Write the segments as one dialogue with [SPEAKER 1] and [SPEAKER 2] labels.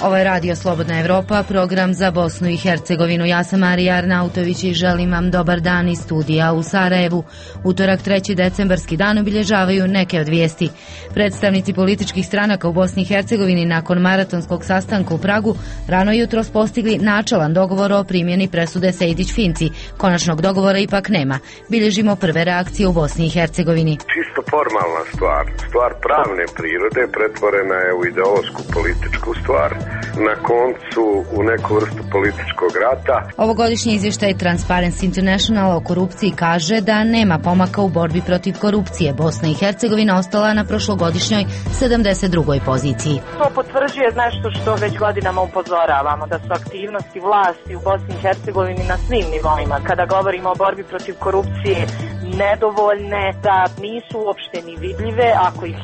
[SPEAKER 1] Ovo je Radio Slobodna Evropa, program za Bosnu i Hercegovinu. Ja sam Marija Arnautović i želim vam dobar dan iz studija u Sarajevu. Utorak 3. decembarski dan obilježavaju neke od vijesti. Predstavnici političkih stranaka u Bosni i Hercegovini nakon maratonskog sastanka u Pragu rano jutros postigli načelan dogovor o primjeni presude Sejdić-Finci. Konačnog dogovora ipak nema. Bilježimo prve reakcije u Bosni i Hercegovini.
[SPEAKER 2] Čisto formalna stvar pravne prirode pretvorena je u ideološku političku stvar. Na koncu u neku vrstu političkog rata.
[SPEAKER 1] Ovogodišnji izvještaj Transparency International o korupciji kaže da nema pomaka u borbi protiv korupcije. Bosna i Hercegovina ostala na prošlogodišnjoj 72. poziciji.
[SPEAKER 3] To potvrđuje nešto što već godinama upozoravamo, da su aktivnosti vlasti u Bosni i Hercegovini na svim nivoima. Kada govorimo o borbi protiv korupcije, nedovoljne, da nisu uopšte ni vidljive, ako ih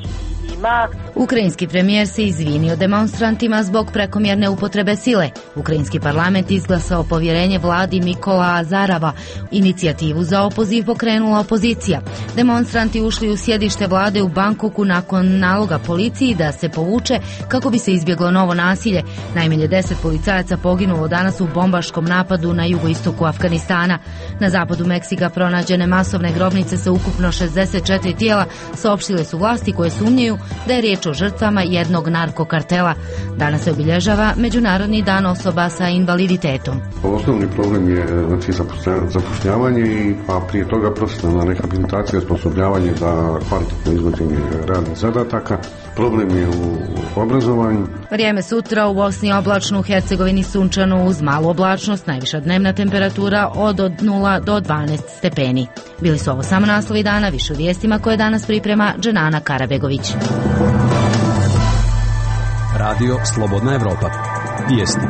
[SPEAKER 3] ima.
[SPEAKER 1] Ukrajinski premijer se izvinio demonstrantima zbog prekomjerne upotrebe sile. Ukrajinski parlament izglasao povjerenje vladi Mikola Azarava. Inicijativu za opoziv pokrenula opozicija. Demonstranti ušli u sjedište vlade u Bankoku nakon naloga policiji da se povuče kako bi se izbjeglo novo nasilje. Najmanje 10 policajaca poginulo danas u bombaškom napadu na jugoistoku Afganistana. Na zapadu Meksika pronađene masovne grobnice sa ukupno 64 tijela, saopštile su vlasti koje sumnjaju da je riječ o žrtvama jednog narkokartela. Danas se obilježava Međunarodni dan osoba sa invaliditetom.
[SPEAKER 4] Osnovni problem je zapošljavanje, a prije toga profesionalna rehabilitacija, osposobljavanje za kvalitetno izvođenje radnih zadataka. Problem je u obrazovanju.
[SPEAKER 1] Vrijeme sutra u Bosni oblačno, u Hercegovini sunčano uz malu oblačnost, najviša dnevna temperatura od 0 do 12 stepeni. Bili su ovo samo naslovi dana, više u vijestima koje danas priprema Dženana Karabegović.
[SPEAKER 5] Radio Slobodna Evropa. Vijesti.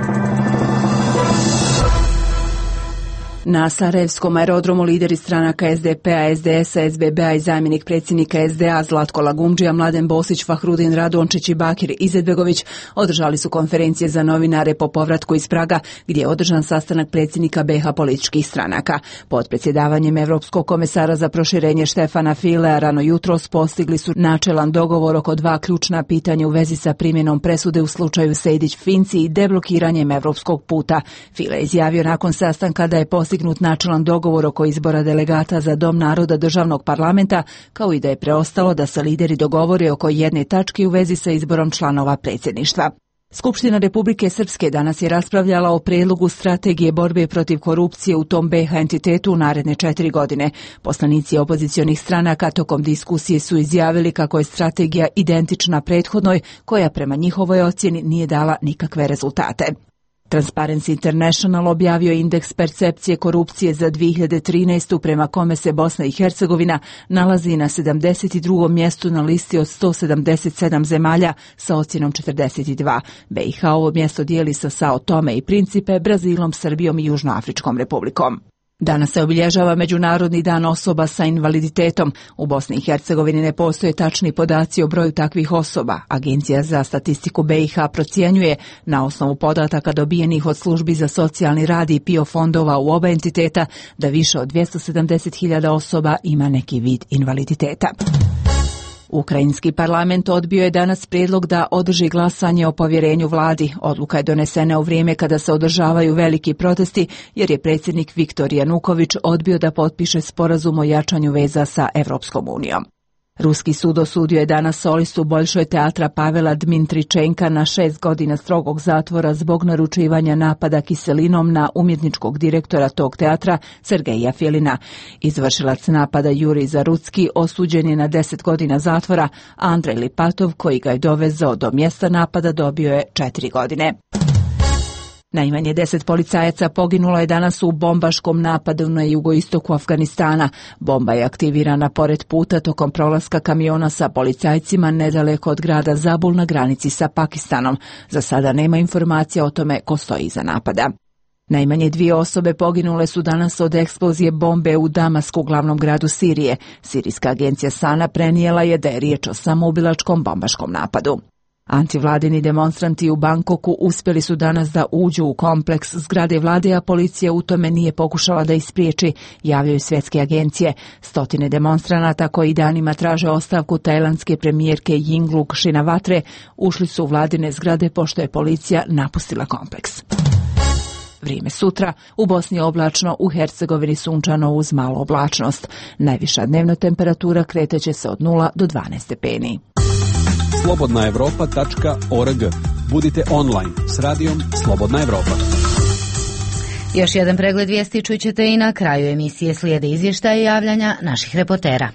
[SPEAKER 6] Na Sarajevskom aerodromu lideri stranaka SDP-a, SDS-a, SBB-a i zamjenik predsjednika SDA Zlatko Lagumdžija, Mladen Bosić, Fahrudin Radončić i Bakir Izetbegović održali su konferencije za novinare po povratku iz Praga, gdje je održan sastanak predsjednika BiH političkih stranaka. Pod predsjedavanjem Europskog komesara za proširenje Štefana Filea rano jutros postigli su načelan dogovor oko dva ključna pitanja u vezi sa primjenom presude u slučaju Sejdić-Finci i deblokiranjem europskog puta. File je izjavio nakon sastanka da je postignut načelan dogovor oko izbora delegata za Dom naroda državnog parlamenta, kao i da je preostalo da se lideri dogovore oko jedne tačke u vezi sa izborom članova predsjedništva. Skupština Republike Srpske danas je raspravljala o prijedlogu strategije borbe protiv korupcije u tom BiH entitetu u naredne 4 godine. Poslanici opozicionih stranaka tokom diskusije su izjavili kako je strategija identična prethodnoj, koja prema njihovoj ocjeni nije dala nikakve rezultate. Transparency International objavio indeks percepcije korupcije za 2013. prema kome se Bosna i Hercegovina nalazi na 72. mjestu na listi od 177 zemalja sa ocjenom 42. BiH ovo mjesto dijeli sa Sao Tome i Principe, Brazilom, Srbijom i Južnoafričkom republikom. Danas se obilježava Međunarodni dan osoba sa invaliditetom. U Bosni i Hercegovini ne postoje tačni podaci o broju takvih osoba. Agencija za statistiku BiH procjenjuje, na osnovu podataka dobijenih od službi za socijalni rad i PIO fondova u oba entiteta, da više od 270.000 osoba ima neki vid invaliditeta. Ukrajinski parlament odbio je danas prijedlog da održi glasanje o povjerenju vladi. Odluka je donesena u vrijeme kada se održavaju veliki protesti, jer je predsjednik Viktor Januković odbio da potpiše sporazum o jačanju veza sa Evropskom unijom. Ruski sud osudio je danas solistu Boljšoj teatra Pavela Dmitričenka na 6 godina strogog zatvora zbog naručivanja napada kiselinom na umjetničkog direktora tog teatra Sergeja Filina. Izvršilac napada Jurij Zarucki osuđen je na 10 godina zatvora, a Andrej Lipatov, koji ga je dovezao do mjesta napada, dobio je 4 godine. Najmanje 10 policajaca poginulo je danas u bombaškom napadu na jugoistoku Afganistana. Bomba je aktivirana pored puta tokom prolaska kamiona sa policajcima nedaleko od grada Zabul na granici sa Pakistanom. Za sada nema informacija o tome ko stoji iza napada. Najmanje 2 osobe poginule su danas od eksplozije bombe u Damasku, glavnom gradu Sirije. Sirijska agencija Sana prenijela je da je riječ o samoubilačkom bombaškom napadu. Antivladini demonstranti u Bangkoku uspjeli su danas da uđu u kompleks zgrade vlade, a policija u tome nije pokušala da ih spriječi, javljaju svjetske agencije. Stotine demonstranata koji danima traže ostavku tajlandske premijerke Yingluck Shinawatre ušli su u vladine zgrade pošto je policija napustila kompleks. Vrijeme sutra, u Bosni oblačno, u Hercegovini sunčano uz malu oblačnost. Najviša dnevna temperatura kreteće se od 0 do 12 stepeni.
[SPEAKER 5] slobodnaevropa.org. Budite online s radijom Slobodna Evropa.
[SPEAKER 1] Još jedan pregled vijesti čućete i na kraju emisije, slijede izvještaje i javljanja naših reportera.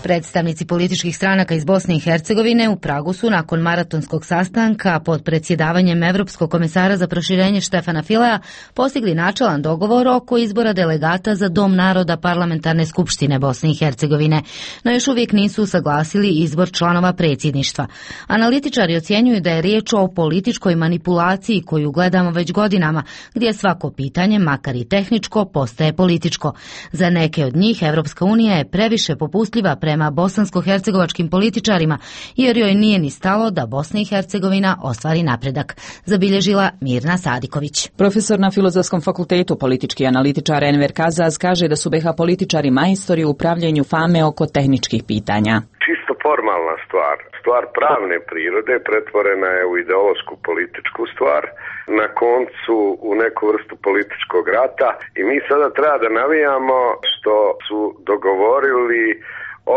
[SPEAKER 1] Predstavnici političkih stranaka iz Bosne i Hercegovine u Pragu su nakon maratonskog sastanka pod predsjedavanjem Evropskog komesara za proširenje Štefana Fileja postigli načelan dogovor oko izbora delegata za Dom naroda Parlamentarne skupštine Bosne i Hercegovine, no još uvijek nisu usaglasili izbor članova predsjedništva. Analitičari ocjenjuju da je riječ o političkoj manipulaciji koju gledamo već godinama, gdje svako pitanje, makar i tehničko, postaje političko. Za neke od njih Evropska unija je previše popustljiva prema bosansko-hercegovačkim političarima, jer joj nije ni stalo da Bosna i Hercegovina ostvari napredak, zabilježila Mirna Sadiković.
[SPEAKER 7] Profesor na Filozofskom fakultetu, politički analitičar Enver Kazaz, kaže da su BiH političari majstori u upravljanju fame oko tehničkih pitanja.
[SPEAKER 2] Čisto formalna stvar pravne prirode pretvorena je u ideološku političku stvar, na koncu u neku vrstu političkog rata, i mi sada treba da navijamo što su dogovorili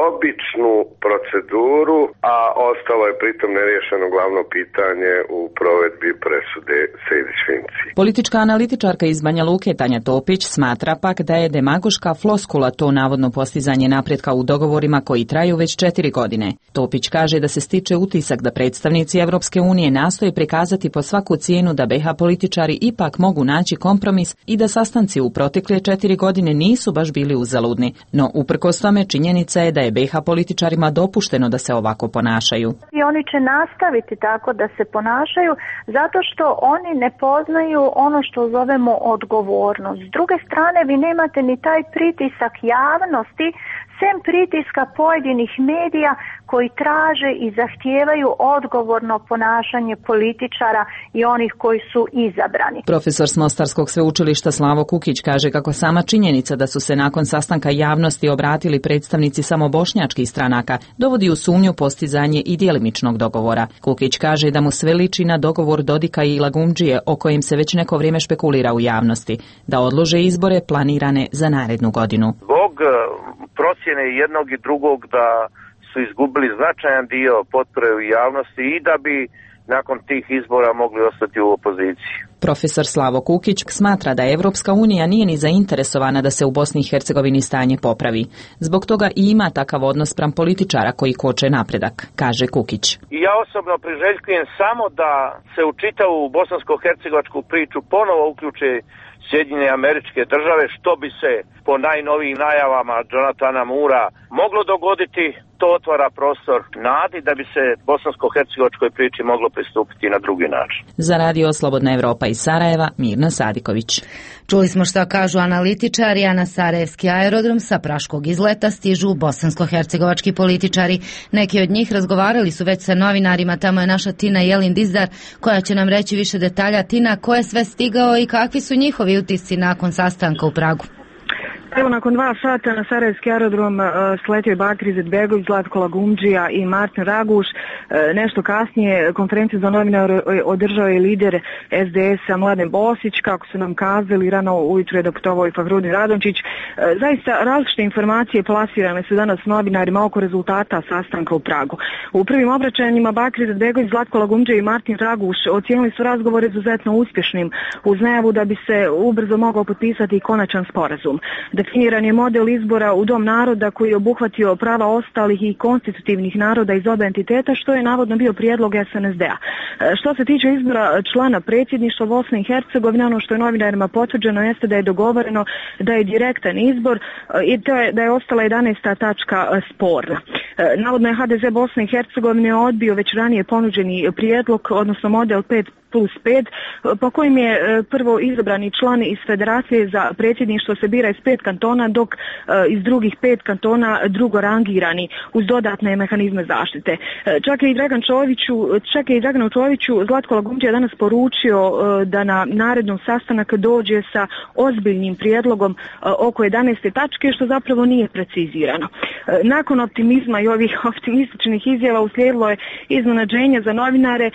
[SPEAKER 2] običnu proceduru, a ostalo je pritom neriješeno glavno pitanje u provedbi presude Sejdić-Finci.
[SPEAKER 7] Politička analitičarka iz Banja Luke Tanja Topić smatra pak da je demagoška floskula to navodno postizanje napretka u dogovorima koji traju već 4 godine. Topić kaže da se stiče utisak da predstavnici Evropske unije nastoje prikazati po svaku cijenu da BiH političari ipak mogu naći kompromis i da sastanci u protekle 4 godine nisu baš bili uzaludni. No uprkos tome činjenica je da je BiH političarima dopušteno da se ovako ponašaju.
[SPEAKER 8] I oni će nastaviti tako da se ponašaju zato što oni ne poznaju ono što zovemo odgovornost. S druge strane, vi nemate ni taj pritisak javnosti, sem pritiska pojedinih medija koji traže i zahtijevaju odgovorno ponašanje političara i onih koji su izabrani.
[SPEAKER 7] Profesor s Mostarskog sveučilišta Slavo Kukić kaže kako sama činjenica da su se nakon sastanka javnosti obratili predstavnici samo bošnjačkih stranaka dovodi u sumnju postizanje i djelimičnog dogovora. Kukić kaže da mu sve liči na dogovor Dodika i Lagumdžije o kojem se već neko vrijeme špekulira u javnosti, da odlože izbore planirane za narednu godinu.
[SPEAKER 9] Zbog procjene jednog i drugog da su izgubili značajan dio potpore u javnosti i da bi nakon tih izbora mogli ostati u opoziciji.
[SPEAKER 7] Profesor Slavo Kukić smatra da Evropska unija nije ni zainteresovana da se u Bosni i Hercegovini stanje popravi. Zbog toga i ima takav odnos spram političara koji koče napredak, kaže Kukić.
[SPEAKER 9] I ja osobno priželjkujem samo da se u čitavu bosansko-hercegovačku priču ponovo uključe Sjedinjene Američke Države, što bi se po najnovijim najavama Jonathana Moora moglo dogoditi. To otvara prostor nadi da bi se bosansko-hercegovačkoj priči moglo pristupiti na drugi način.
[SPEAKER 7] Za radio Slobodna Evropa iz Sarajeva, Mirna Sadiković.
[SPEAKER 1] Čuli smo šta kažu analitičari, a na sarajevski aerodrom sa praškog izleta stižu bosansko-hercegovački političari. Neki od njih razgovarali su već sa novinarima, tamo je naša Tina Jelin Dizdar koja će nam reći više detalja. Tina, ko je sve stigao i kakvi su njihovi utisci nakon sastanka u Pragu?
[SPEAKER 10] Evo, nakon 2 sata na sarajevski aerodrom sletio je Bakir Izetbegović, Zlatko Lagumdžija i Martin Raguš. Nešto kasnije konferenciju za novinare održao je lider SDS-a Mladen Bosić. Kako su nam kazali, rano ujutro je doputovao i Fahrudin Radončić. Zaista različite informacije plasirane su danas novinarima oko rezultata sastanka u Pragu. U prvim obraćanjima Bakir Izetbegović, Zlatko Lagumdžija i Martin Raguš ocijenili su razgovor izuzetno uspješnim, uz najavu da bi se ubrzo mogao potpisati i konačan sporazum. Definiran je model izbora u Dom naroda koji je obuhvatio prava ostalih i konstitutivnih naroda iz oba entiteta, što je navodno bio prijedlog SNSD-a. Što se tiče izbora člana predsjedništva Bosne i Hercegovine, ono što je novinarima potvrđeno jeste da je dogovoreno da je direktan izbor i to je da je ostala 11. tačka sporna. Navodno je HDZ Bosne i Hercegovine odbio već ranije ponuđeni prijedlog, odnosno model 5 5+5, po kojim je prvo izabrani član iz federacije za predsjedništvo se bira iz 5 kantona, dok iz drugih 5 kantona drugo rangirani uz dodatne mehanizme zaštite. Čak je i Draganu Čoviću Zlatko Lagumdžija danas poručio da na narednom sastanak dođe sa ozbiljnim prijedlogom oko 11. tačke, što zapravo nije precizirano. Nakon optimizma i ovih optimističnih izjava uslijedilo je iznenađenje za novinare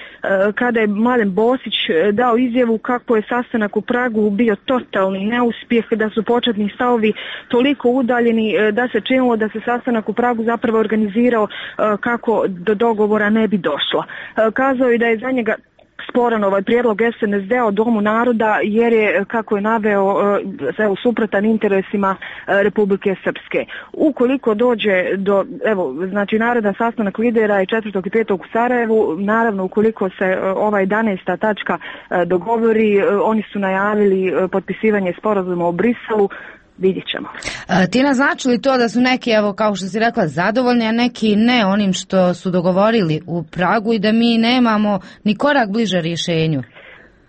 [SPEAKER 10] kada je Mladen Bosić dao izjavu kako je sastanak u Pragu bio totalni neuspjeh, da su početni stavovi toliko udaljeni da se činilo da se sastanak u Pragu zapravo organizirao kako do dogovora ne bi došlo. Kazao je da je za njega sporan ovaj prijedlog SNSD o Domu naroda jer je, kako je naveo, suprotan interesima Republike Srpske. Ukoliko dođe do, naredna sastanak lidera je 4. i 5. u Sarajevu, naravno ukoliko se ova 11. tačka dogovori, oni su najavili potpisivanje sporazuma o Briselu. Vidjet ćemo.
[SPEAKER 1] Tina, znači li to da su neki, kao što si rekla, zadovoljni, a neki ne onim što su dogovorili u Pragu i da mi nemamo ni korak bliže rješenju?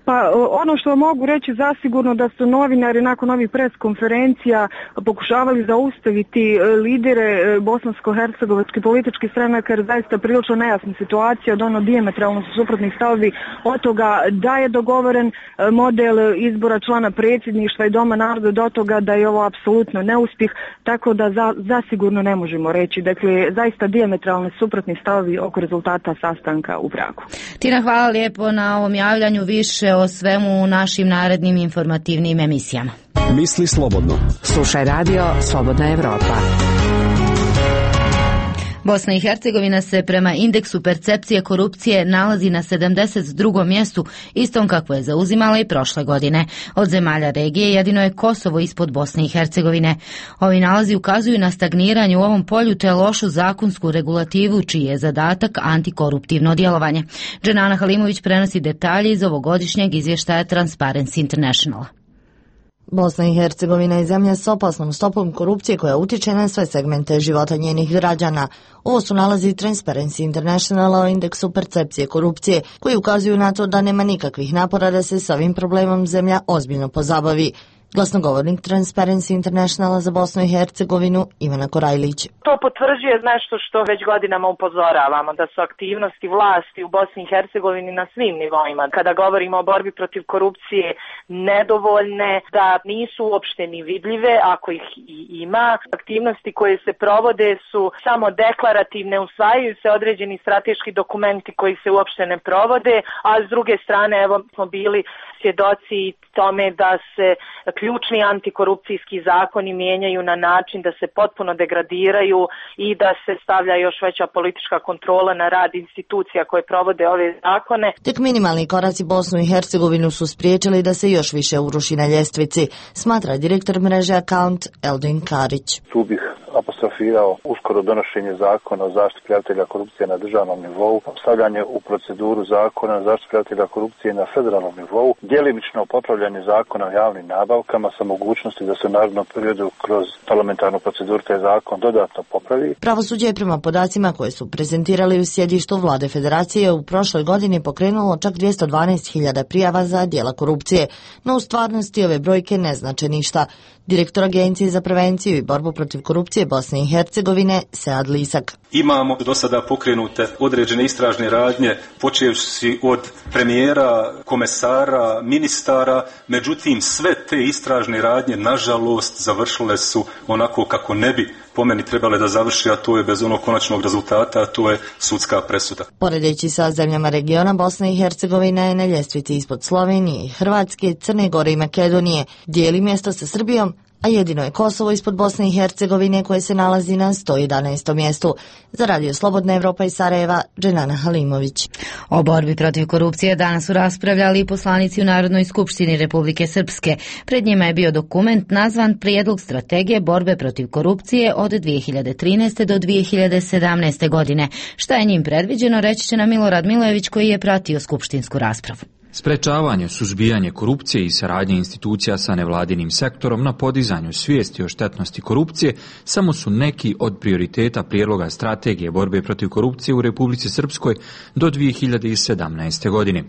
[SPEAKER 10] Pa ono što mogu reći zasigurno da su novinari nakon ovih pres konferencija pokušavali zaustaviti lidere bosansko-hercegovačkih političkih stranaka, jer zaista prilično nejasna situacija, od ono dijametralno su suprotnih stavovi od toga da je dogovoren model izbora člana predsjedništva i Doma naroda do toga da je ovo apsolutno neuspjeh, tako da zasigurno ne možemo reći. Dakle, zaista dijametralne suprotni stavovi oko rezultata sastanka u Pragu.
[SPEAKER 1] Tina, hvala lijepo na ovom javljanju, više o svemu u našim narednim informativnim emisijama.
[SPEAKER 5] Misli slobodno.
[SPEAKER 11] Slušaj radio Slobodna Evropa.
[SPEAKER 1] Bosna i Hercegovina se prema indeksu percepcije korupcije nalazi na 72. mjestu, istom kakvo je zauzimala i prošle godine. Od zemalja regije jedino je Kosovo ispod Bosne i Hercegovine. Ovi nalazi ukazuju na stagniranje u ovom polju te lošu zakonsku regulativu čiji je zadatak antikoruptivno djelovanje. Dženana Halimović prenosi detalje iz ovogodišnjeg izvještaja Transparency Internationala.
[SPEAKER 12] Bosna i Hercegovina je zemlja s opasnom stopom korupcije koja utječe na sve segmente života njenih građana. Ovo su nalazi Transparency Internationala o indeksu percepcije korupcije, koji ukazuju na to da nema nikakvih napora da se s ovim problemom zemlja ozbiljno pozabavi. Glasnogovornik Transparency Internationala za Bosnu i Hercegovinu Ivana Korajlić.
[SPEAKER 3] To potvrđuje nešto što već godinama upozoravamo, da su aktivnosti vlasti u Bosni i Hercegovini na svim nivoima. Kada govorimo o borbi protiv korupcije, nedovoljne, da nisu uopšte ni vidljive, ako ih i ima. Aktivnosti koje se provode su samo deklarativne, usvajaju se određeni strateški dokumenti koji se uopšte ne provode, a s druge strane smo bili svjedoci tome da se ključni antikorupcijski zakoni mijenjaju na način da se potpuno degradiraju i da se stavlja još veća politička kontrola na rad institucija koje provode ove zakone.
[SPEAKER 12] Tek minimalni koraci Bosnu i Hercegovinu su spriječili da se još više uruši na ljestvici, smatra direktor mreže Account Eldin Karić.
[SPEAKER 13] Tu bih apostrofirao uskoro donošenje zakona o zaštiti prijavitelja korupcije na državnom nivou, stavljanje u proceduru zakona o zaštiti prijavitelja korupcije na federalnom nivou, djelimično popravljanje zakona o javnim nabavkama sa mogućnosti da se u narednom periodu kroz parlamentarnu proceduru taj zakon dodatno popravi.
[SPEAKER 12] Pravosuđe je prema podacima koje su prezentirali u sjedištu Vlade Federacije u prošloj godini pokrenulo čak 212.000 prijava za djela korupcije, no u stvarnosti ove brojke ne znače ništa. Direktor Agencije za prevenciju i borbu protiv korupcije Bosne i Hercegovine Sead Lisak.
[SPEAKER 14] Imamo do sada pokrenute određene istražne radnje, počevši od premijera, komesara, ministara, međutim sve te istražne radnje nažalost završile su onako kako ne bi po meni trebale da završi, a to je bez onog konačnog rezultata, a to je sudska presuda.
[SPEAKER 12] Poredeći sa zemljama regiona, Bosna i Hercegovina je na ljestvici ispod Slovenije, Hrvatske, Crne Gore i Makedonije, dijeli mjesto sa Srbijom, a jedino je Kosovo ispod Bosne i Hercegovine koje se nalazi na 111. mjestu. Za Radio Slobodna Evropa iz Sarajeva, Dženana Halimović.
[SPEAKER 1] O borbi protiv korupcije danas su raspravljali i poslanici u Narodnoj skupštini Republike Srpske. Pred njima je bio dokument nazvan Prijedlog strategije borbe protiv korupcije od 2013. do 2017. godine. Šta je njim predviđeno, reći će nam Milorad Milojević koji je pratio skupštinsku raspravu.
[SPEAKER 15] Sprečavanje, suzbijanje korupcije i saradnje institucija sa nevladinim sektorom na podizanju svijesti o štetnosti korupcije samo su neki od prioriteta prijedloga strategije borbe protiv korupcije u Republici Srpskoj do 2017. godine.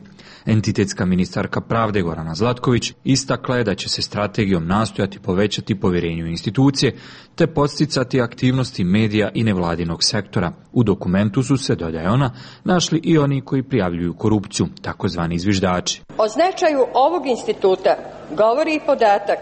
[SPEAKER 15] Entitetska ministarka pravde Gorana Zlatković istakla je da će se strategijom nastojati povećati povjerenje u institucije te podsticati aktivnosti medija i nevladinog sektora. U dokumentu su se, dodaje ona, našli i oni koji prijavljuju korupciju, takozvani zviždači.
[SPEAKER 16] O značaju ovog instituta govori i podatak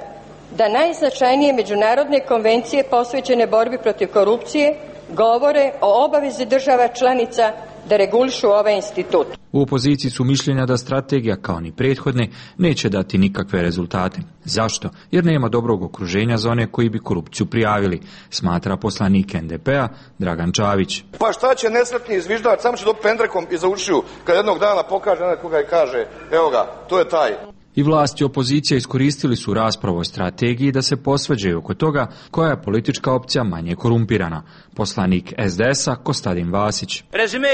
[SPEAKER 16] da najznačajnije međunarodne konvencije posvećene borbi protiv korupcije govore o obavezi država članica da regulišu ovaj institut.
[SPEAKER 15] U opoziciji su mišljenja da strategija, kao ni prethodne, neće dati nikakve rezultate. Zašto? Jer nema dobrog okruženja za one koji bi korupciju prijavili, smatra poslanik NDP-a Dragan Čavić.
[SPEAKER 17] Pa šta će nesretni zviždač, samo će dobiti pendrekom iza ušiju kad jednog dana pokaže nekoga i kaže, evo ga, to je taj.
[SPEAKER 15] I vlast i opozicija iskoristili su raspravu o strategiji da se posvađaju oko toga koja je politička opcija manje korumpirana. Poslanik SDS-a Kostadin Vasić.
[SPEAKER 18] Rezime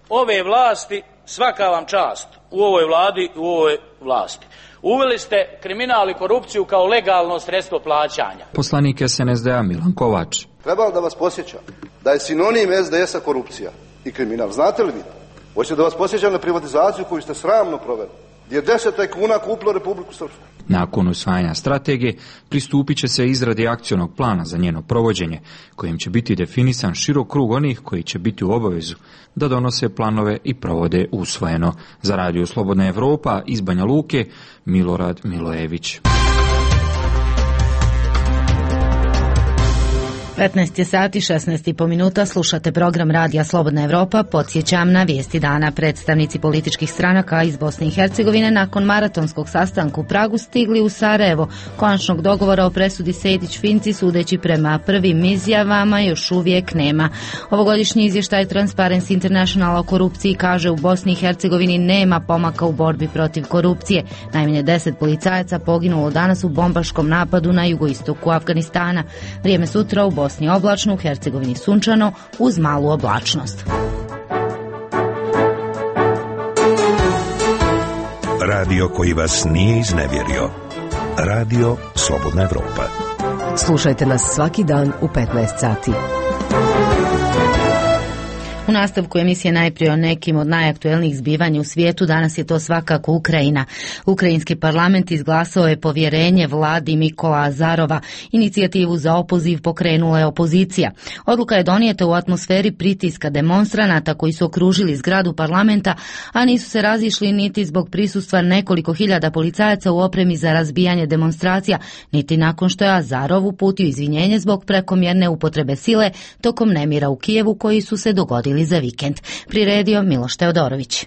[SPEAKER 18] ove vlasti, svaka vam čast u ovoj vladi, u ovoj vlasti. Uveli ste kriminal i korupciju kao legalno sredstvo plaćanja.
[SPEAKER 15] Poslanik SNSD-a Milan Kovač.
[SPEAKER 17] Trebalo da vas posjećam da je sinonim SDS-a korupcija i kriminal. Znate li vi to? Hoćete da vas posjećam na privatizaciju koju ste sramno proveli, gdje je 10 tajkuna kupilo Republiku Srpsku.
[SPEAKER 15] Nakon usvajanja strategije pristupit će se izradi akcionog plana za njeno provođenje, kojim će biti definisan širok krug onih koji će biti u obavezu da donose planove i provode usvojeno. Za Radio Slobodna Evropa iz Banja Luke, Milorad Milojević.
[SPEAKER 1] 15 sati 16,5 minuta, slušate program Radija Slobodna Evropa. Podsjećam na vijesti dana. Predstavnici političkih stranaka iz Bosne i Hercegovine nakon maratonskog sastanka u Pragu stigli u Sarajevo. Konačnog dogovora o presudi Sejdić-Finci, sudeći prema prvim izjavama, još uvijek nema. Ovogodišnji izvještaj Transparency International o korupciji kaže u Bosni i Hercegovini nema pomaka u borbi protiv korupcije. Najmanje 10 policajaca poginulo danas u bombaškom napadu na jugoistoku Afganistana. Vrijeme sutra u Bosni oblačno, u Hercegovini sunčano uz malu oblačnost.
[SPEAKER 19] Radio koji vas nije iznevjerio. Radio Slobodna Evropa.
[SPEAKER 11] Slušajte nas svaki dan u 15 sati.
[SPEAKER 1] U nastavku emisije najprije o nekim od najaktuelnijih zbivanja u svijetu. Danas je to svakako Ukrajina. Ukrajinski parlament izglasao je povjerenje vladi Mikola Azarova. Inicijativu za opoziv pokrenula je opozicija. Odluka je donijeta u atmosferi pritiska demonstranata koji su okružili zgradu parlamenta, a nisu se razišli niti zbog prisustva nekoliko hiljada policajaca u opremi za razbijanje demonstracija, niti nakon što je Azarov uputio izvinjenje zbog prekomjerne upotrebe sile tokom nemira u Kijevu koji su se dogodili za vikend. Priredio Miloš Teodorović.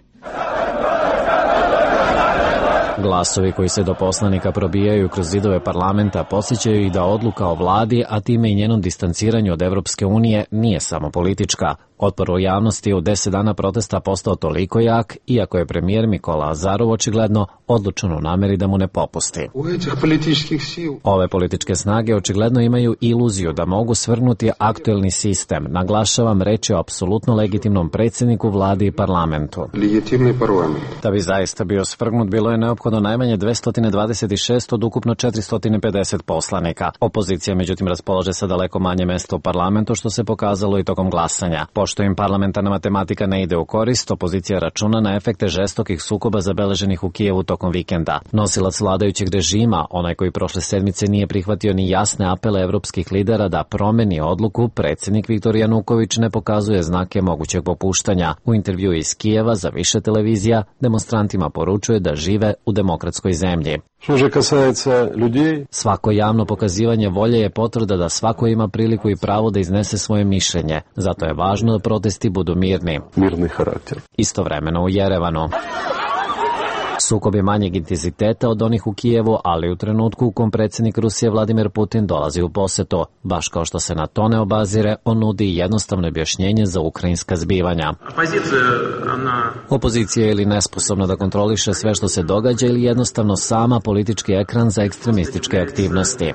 [SPEAKER 20] Glasovi koji se do poslanika probijaju kroz zidove parlamenta podsjećaju i da odluka o vladi, a time i njenom distanciranju od Evropske unije, nije samo politička. Otpor u javnosti u 10 dana protesta postao toliko jak, iako je premijer Mikola Azarov očigledno odlučan u namjeri da mu ne popusti. Ove političke snage očigledno imaju iluziju da mogu svrgnuti aktuelni sistem. Naglašavam, reč je o apsolutno legitimnom predsjedniku vladi i parlamentu. Da bi zaista bio svrgnut, bilo je neophodno najmanje 226 od ukupno 450 poslanika. Opozicija međutim raspolaže sa daleko manje mjesta u parlamentu, što se pokazalo i tokom glasanja. Pošto im parlamentarna matematika ne ide u korist, opozicija računa na efekte žestokih sukoba zabeleženih u Kijevu tokom vikenda. Nosilac vladajućeg režima, onaj koji prošle sedmice nije prihvatio ni jasne apele evropskih lidera da promeni odluku, predsjednik Viktor Januković ne pokazuje znake mogućeg popuštanja. U intervju iz Kijeva za više televizija demonstrantima poručuje da žive u demokratskoj zemlji. Svako javno pokazivanje volje je potvrda da svako ima priliku i pravo da iznese svoje mišljenje. Zato je važno da protesti budu mirni. Mirni karakter. Istovremeno u Jerevanu. Sukob je manjeg intenziteta od onih u Kijevu, ali u trenutku u kom predsjednik Rusije Vladimir Putin dolazi u posjetu. Baš kao što se na to ne obazire, on nudi jednostavno objašnjenje za ukrajinska zbivanja. Opozicija je ili nesposobna da kontroliše sve što se događa ili jednostavno sama politički ekran za ekstremističke aktivnosti.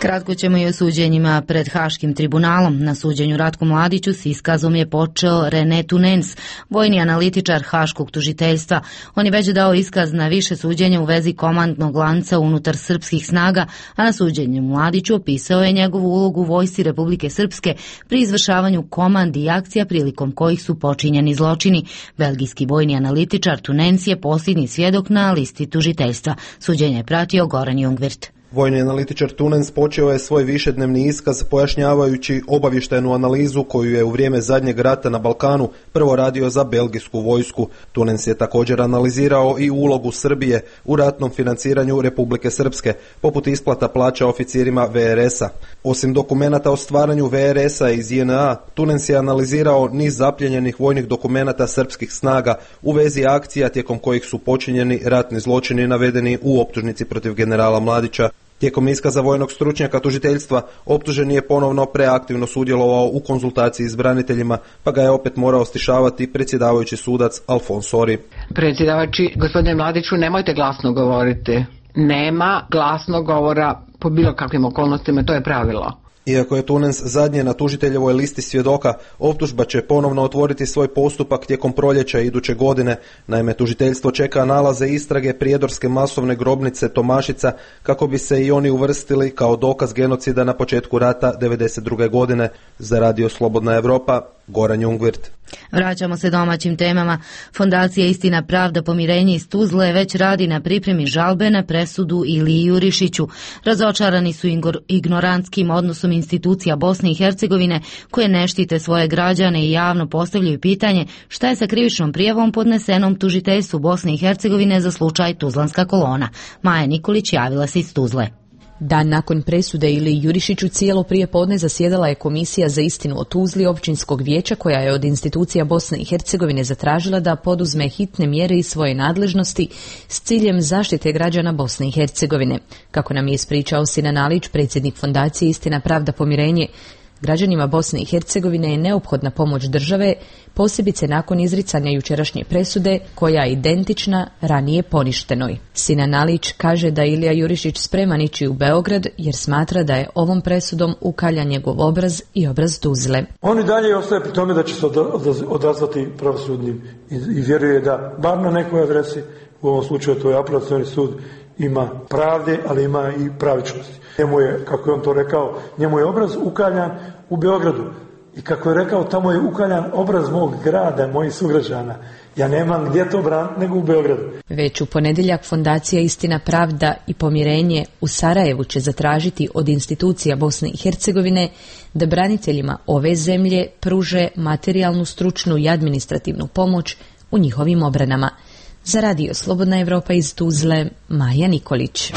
[SPEAKER 1] Kratko ćemo i o suđenjima pred Haškim tribunalom. Na suđenju Ratku Mladiću s iskazom je počeo René Tunens, vojni analitičar Haškog tužiteljstva. On je već dao iskaz na više suđenja u vezi komandnog lanca unutar srpskih snaga, a na suđenju Mladiću opisao je njegovu ulogu u vojsci Republike Srpske pri izvršavanju komandi i akcija prilikom kojih su počinjeni zločini. Belgijski vojni analitičar Tunens je posljednji svjedok na listi tužiteljstva. Suđenje je pratio Goran Jungwirth.
[SPEAKER 21] Vojni analitičar Tunens počeo je svoj višednevni iskaz pojašnjavajući obavještajnu analizu koju je u vrijeme zadnjeg rata na Balkanu prvo radio za belgijsku vojsku. Tunens je također analizirao i ulogu Srbije u ratnom financiranju Republike Srpske, poput isplata plaća oficirima VRS-a. Osim dokumenata o stvaranju VRS-a iz JNA, Tunens je analizirao niz zapljenjenih vojnih dokumenata srpskih snaga u vezi akcija tijekom kojih su počinjeni ratni zločini navedeni u optužnici protiv generala Mladića. Tijekom iskaza vojnog stručnjaka tužiteljstva optuženi je ponovno preaktivno sudjelovao u konzultaciji s braniteljima, pa ga je opet morao stišavati predsjedavajući sudac Alfonsori.
[SPEAKER 22] Predsjedavajući, gospodine Mladiću, nemojte glasno govoriti. Nema glasnog govora po bilo kakvim okolnostima, to je pravilo.
[SPEAKER 21] Iako je Tunens zadnje na tužiteljevoj listi svjedoka, optužba će ponovno otvoriti svoj postupak tijekom proljeća iduće godine. Naime, tužiteljstvo čeka nalaze istrage prijedorske masovne grobnice Tomašica kako bi se i oni uvrstili kao dokaz genocida na početku rata 1992. godine. Za Radio Slobodna Evropa, Goran Jungwirth.
[SPEAKER 1] Vraćamo se domaćim temama. Fondacija Istina, pravda, pomirenje iz Tuzle već radi na pripremi žalbe na presudu Iliji Jurišiću. Razočarani su ignorantskim odnosom institucija Bosne i Hercegovine koje ne štite svoje građane i javno postavljaju pitanje šta je sa krivičnom prijavom podnesenom tužiteljstvu Bosne i Hercegovine za slučaj Tuzlanska kolona. Maja Nikolić javila se iz Tuzle.
[SPEAKER 23] Dan nakon presude Iliji Jurišiću cijelo prije podne zasjedala je Komisija za istinu o Tuzli općinskog vijeća koja je od institucija Bosne i Hercegovine zatražila da poduzme hitne mjere iz svoje nadležnosti s ciljem zaštite građana Bosne i Hercegovine. Kako nam je ispričao Sinan Alić, predsjednik Fondacije Istina, pravda, pomirenje, građanima Bosne i Hercegovine je neophodna pomoć države, posebice nakon izricanja jučerašnje presude, koja je identična ranije poništenoj. Sinan Alić kaže da Ilija Jurišić spreman ići u Beograd jer smatra da je ovom presudom ukaljan njegov obraz i obraz Tuzle.
[SPEAKER 24] On i dalje ostaje pri tome da će se odazvati pravosudnim i vjeruje da bar na nekoj adresi, u ovom slučaju to je apelacioni sud, ima pravde, ali ima i pravičnosti. Njemu je, kako je on to rekao, njemu je obraz ukaljan u Beogradu. I kako je rekao, tamo je ukaljan obraz mog grada, mojih sugrađana. Ja nemam gdje to braniti nego u Beogradu.
[SPEAKER 23] Već u ponedjeljak Fondacija Istina, pravda i pomirenje u Sarajevu će zatražiti od institucija Bosne i Hercegovine da braniteljima ove zemlje pruže materijalnu, stručnu i administrativnu pomoć u njihovim obranama. Za Radio Slobodna Evropa iz Tuzle, Maja Nikolić.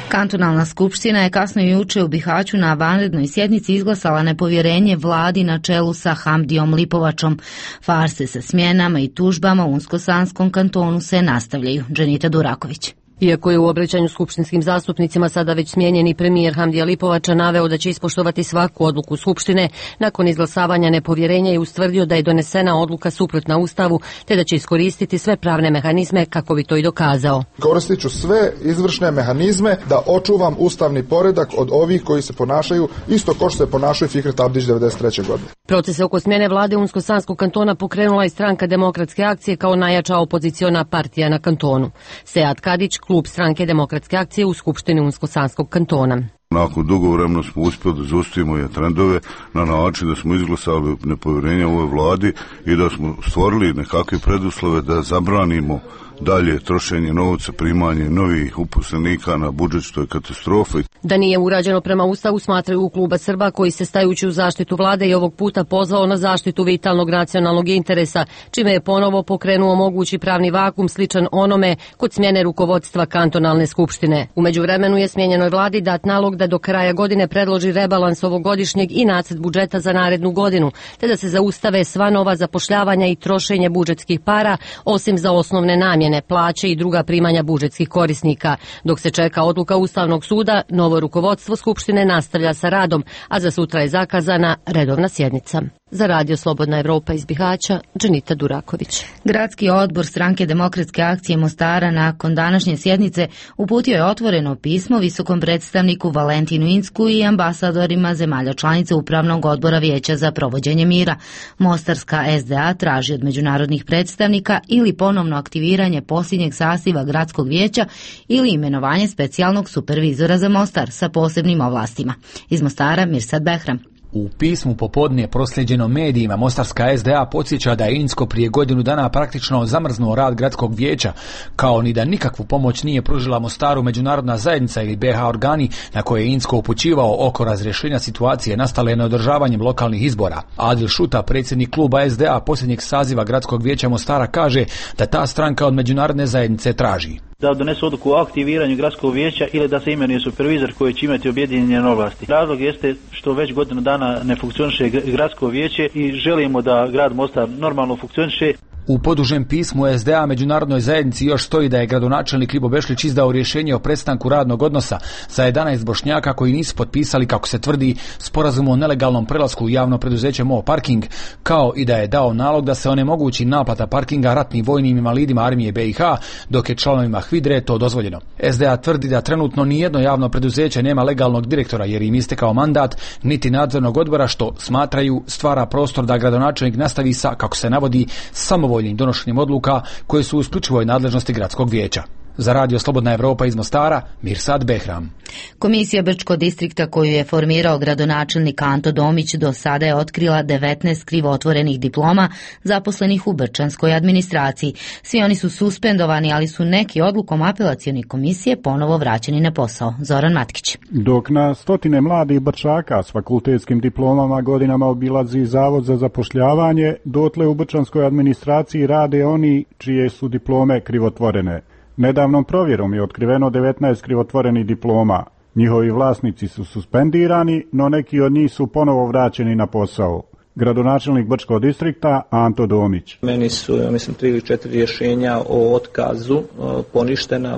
[SPEAKER 1] Kantonalna skupština je kasno juče u Bihaću na vanrednoj sjednici izglasala nepovjerenje vladi na čelu sa Hamdijom Lipovačom. Farse sa smjenama i tužbama u Unsko-Sanskom kantonu se nastavljaju. Dženita Duraković.
[SPEAKER 25] Iako je u obraćanju skupštinskim zastupnicima sada već smijenjeni premijer Hamdija Lipovača naveo da će ispoštovati svaku odluku Skupštine, nakon izglasavanja nepovjerenja je ustvrdio da je donesena odluka suprotna Ustavu, te da će iskoristiti sve pravne mehanizme kako bi to i dokazao.
[SPEAKER 26] Koristit ću sve izvršne mehanizme da očuvam ustavni poredak od ovih koji se ponašaju isto kao što se ponašaju Fikret Abdić 1993. godine.
[SPEAKER 25] Procese oko smjene vlade Unsko-Sanskog kantona pokrenula i Stranka demokratske akcije kao najjača opoziciona partija na kantonu. Sead Kadić, klub Stranke demokratske akcije u Skupštini Unsko-Sanskog kantona.
[SPEAKER 27] Nakon dugo vremena smo uspjeli da zaustavimo je trendove na način da smo izglasali nepovjerenje ovoj vladi i da smo stvorili nekakve preduslove da zabranimo dalje trošenje novca, primanje novih uposlenika na budžet, što je katastrofa.
[SPEAKER 25] Da nije urađeno prema Ustavu, smatraju u kluba Srba koji se stajući u zaštitu vlade i ovog puta pozvao na zaštitu vitalnog nacionalnog interesa, čime je ponovo pokrenuo mogući pravni vakum sličan onome kod smjene rukovodstva kantonalne skupštine. U međuvremenu je smjenjenoj vladi dat nalog da do kraja godine predloži rebalans ovogodišnjeg i nacrt budžeta za narednu godinu, te da se zaustave sva nova zapošljavanja i trošenje budžetskih para, osim za osnovne namjene, plaće i druga primanja budžetskih korisnika. Dok se čeka odluka Ustavnog suda, novo rukovodstvo Skupštine nastavlja sa radom, a za sutra je zakazana redovna sjednica. Za Radio Slobodna Evropa iz Bihaća, Dženita Duraković.
[SPEAKER 1] Gradski odbor Stranke demokratske akcije Mostara nakon današnje sjednice uputio je otvoreno pismo visokom predstavniku Valentinu Incku i ambasadorima zemalja članica Upravnog odbora Vijeća za provođenje mira. Mostarska SDA traži od međunarodnih predstavnika ili ponovno aktiviranje posljednjeg saziva gradskog vijeća ili imenovanje specijalnog supervizora za Mostar sa posebnim ovlastima. Iz Mostara Mirsad Behram.
[SPEAKER 2] U pismu popodne prosljeđeno medijima Mostarska SDA podsjeća da je Incko prije godinu dana praktično zamrznuo rad gradskog vijeća, kao ni da nikakvu pomoć nije pružila Mostaru međunarodna zajednica ili BH organi na koje je Incko upućivao oko razrješenja situacije nastale neodržavanjem lokalnih izbora. Adil Šuta, predsjednik kluba SDA posljednjeg saziva gradskog vijeća Mostara, kaže da ta stranka od međunarodne zajednice traži
[SPEAKER 4] da donesu odluku o aktiviranju gradskog vijeća ili da se imenuje supervizor koji će imati objedinjene ovlasti. Razlog jeste što već godinu dana ne funkcioniše gradsko vijeće i želimo da grad Mostar normalno funkcioniše.
[SPEAKER 2] U podužem pismu SDA međunarodnoj zajednici još stoji da je gradonačelnik Ljibo Bešlić izdao rješenje o prestanku radnog odnosa za 11 Bošnjaka koji nisu potpisali, kako se tvrdi, sporazum o nelegalnom prelasku u javno preduzeće Mo Parking, kao i da je dao nalog da se onemogući naplata parkinga ratnim vojnim invalidima armije BiH, dok je članovima HVIDRE to dozvoljeno. SDA tvrdi da trenutno nijedno javno preduzeće nema legalnog direktora jer im istekao mandat, niti nadzornog odbora, što smatraju stvara prostor da gradonačelnik nastavi sa, kako se navodi, samovoljnim donošenjem odluka koje su u isključivoj nadležnosti gradskog vijeća. Za Radio Slobodna Evropa iz Mostara, Mirsad Behram.
[SPEAKER 1] Komisija Brčkog distrikta koju je formirao gradonačelnik Anto Domić do sada je otkrila 19 krivotvorenih diploma zaposlenih u brčanskoj administraciji. Svi oni su suspendovani, ali su neki odlukom apelacione komisije ponovo vraćeni na posao. Zoran Matkić.
[SPEAKER 6] Dok na stotine mladih Brčaka s fakultetskim diplomama godinama obilazi Zavod za zapošljavanje, dotle u brčanskoj administraciji rade oni čije su diplome krivotvorene. Nedavnom provjerom je otkriveno 19 krivotvorenih diploma. Njihovi vlasnici su suspendirani, no neki od njih su ponovo vraćeni na posao. Gradonačelnik Brčkog distrikta Anto Domić.
[SPEAKER 7] Meni su, mislim, 3 ili 4 rješenja o otkazu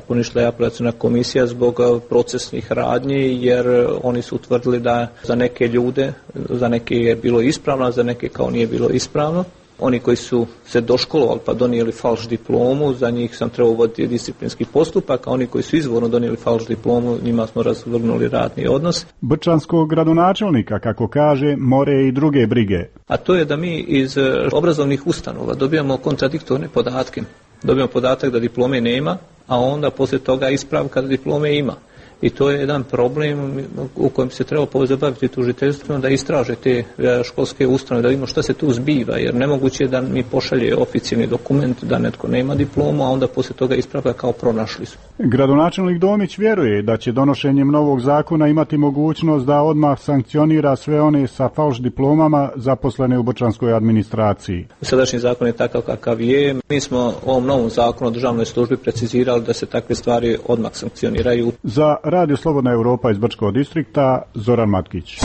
[SPEAKER 7] poništila je apelaciona komisija zbog procesnih radnji, jer oni su utvrdili da za neke ljude, za neke je bilo ispravno, a za neke kao nije bilo ispravno. Oni koji su se doškolovali pa donijeli falš diplomu, za njih sam trebao voditi disciplinski postupak, a oni koji su izvorno donijeli falš diplomu, njima smo razvrgnuli radni odnos.
[SPEAKER 6] Brčanskog gradonačelnika, kako kaže, more i druge brige.
[SPEAKER 7] A to je da mi iz obrazovnih ustanova dobijamo kontradiktorne podatke. Dobijamo podatak da diplome nema, a onda poslije toga ispravka da diplome ima. I to je jedan problem u kojem se treba pozabaviti tužiteljstvom da istraže te školske ustanove, da vidimo šta se tu zbiva, jer nemoguće je da mi pošalje oficijalni dokument da netko nema diplomu, a onda poslije toga ispravlja kao pronašli su.
[SPEAKER 6] Gradonačelnik Domić vjeruje da će donošenjem novog zakona imati mogućnost da odmah sankcionira sve one sa falš diplomama zaposlene u brčanskoj administraciji.
[SPEAKER 7] Sadašnji zakon je takav kakav je. Mi smo ovom novom zakonu o državnoj službi precizirali da se takve stvari odmah sankcioniraju.
[SPEAKER 6] Za Radio Slobodna Evropa iz Brčkog distrikta, Zoran Matkić.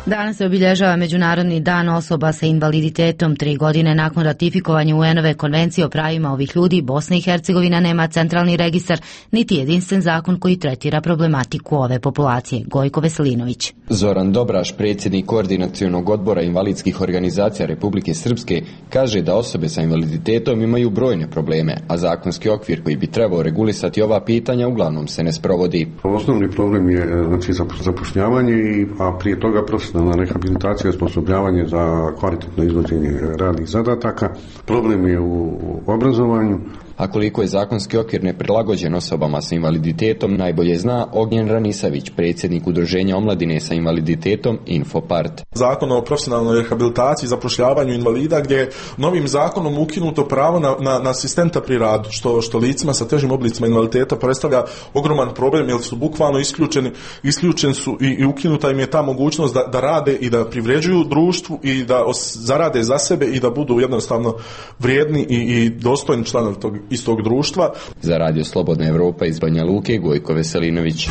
[SPEAKER 1] Danas se obilježava Međunarodni dan osoba sa invaliditetom. 3 godine nakon ratifikovanja UN-ove konvencije o pravima ovih ljudi, Bosna i Hercegovina nema centralni registar, niti jedinstven zakon koji tretira problematiku ove populacije. Gojko Veselinović.
[SPEAKER 8] Zoran Dobraš, predsjednik Koordinacionog odbora invalidskih organizacija Republike Srpske, kaže da osobe sa invaliditetom imaju brojne probleme, a zakonski okvir koji bi trebao regulisati ova pitanja uglavnom se ne sprovodi.
[SPEAKER 9] Osnovni problem je zapošljavanje, a prije toga profesionalna rehabilitacija i osposobljavanje za kvalitetno izvođenje radnih zadataka. Problem je u obrazovanju.
[SPEAKER 8] A koliko je zakonski okvir neprilagođen osobama sa invaliditetom, najbolje zna Ognjen Ranisavić, predsjednik Udruženja omladine sa invaliditetom Infopart.
[SPEAKER 10] Zakon o profesionalnoj rehabilitaciji i zapošljavanju invalida, gdje je novim zakonom ukinuto pravo na asistenta pri radu, što licima sa težim oblicima invaliditeta predstavlja ogroman problem, jer su bukvalno isključeni su i ukinuta im je ta mogućnost da rade i da privređuju društvu i da zarade za sebe i da budu jednostavno vrijedni i dostojni članovi tog istog društva.
[SPEAKER 8] Za Radio Slobodna Evropa iz Banja Luke, Gojko Veselinović.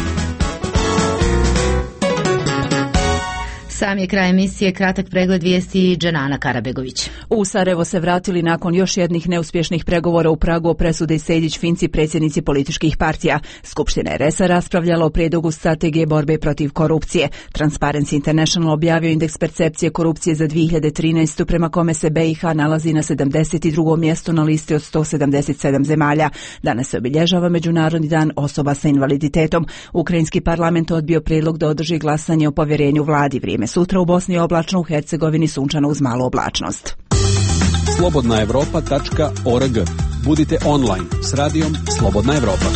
[SPEAKER 1] Sam je kraj emisije, kratak pregled vijesti Dženana Karabegović.
[SPEAKER 3] U Sarajevo se vratili nakon još jednih neuspješnih pregovora u Pragu o presudi Sejdić-Finci, predsjednici političkih partija. Skupština RS-a raspravljala o prijedlogu strategije borbe protiv korupcije. Transparency International objavio indeks percepcije korupcije za 2013. prema kome se BiH nalazi na 72. mjestu na listi od 177 zemalja. Danas se obilježava Međunarodni dan osoba sa invaliditetom. Ukrajinski parlament odbio prijedlog da održi glasanje o povjerenju vladi. Vrijeme sutra u Bosni je oblačno, u Hercegovini sunčano uz malu oblačnost.
[SPEAKER 5] Slobodnaevropa.org. Budite online s radijom Slobodna Evropa.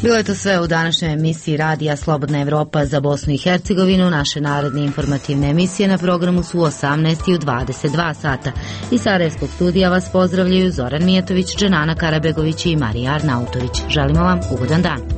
[SPEAKER 1] Bilo je to sve u današnjoj emisiji Radija Slobodna Evropa za Bosnu i Hercegovinu. Naše naredne informativne emisije na programu su u 18 i u 22 sata. Iz Sarajevskog studija vas pozdravljaju Zoran Mijetović, Dženana Karabegović i Marija Arnautović. Želimo vam ugodan dan.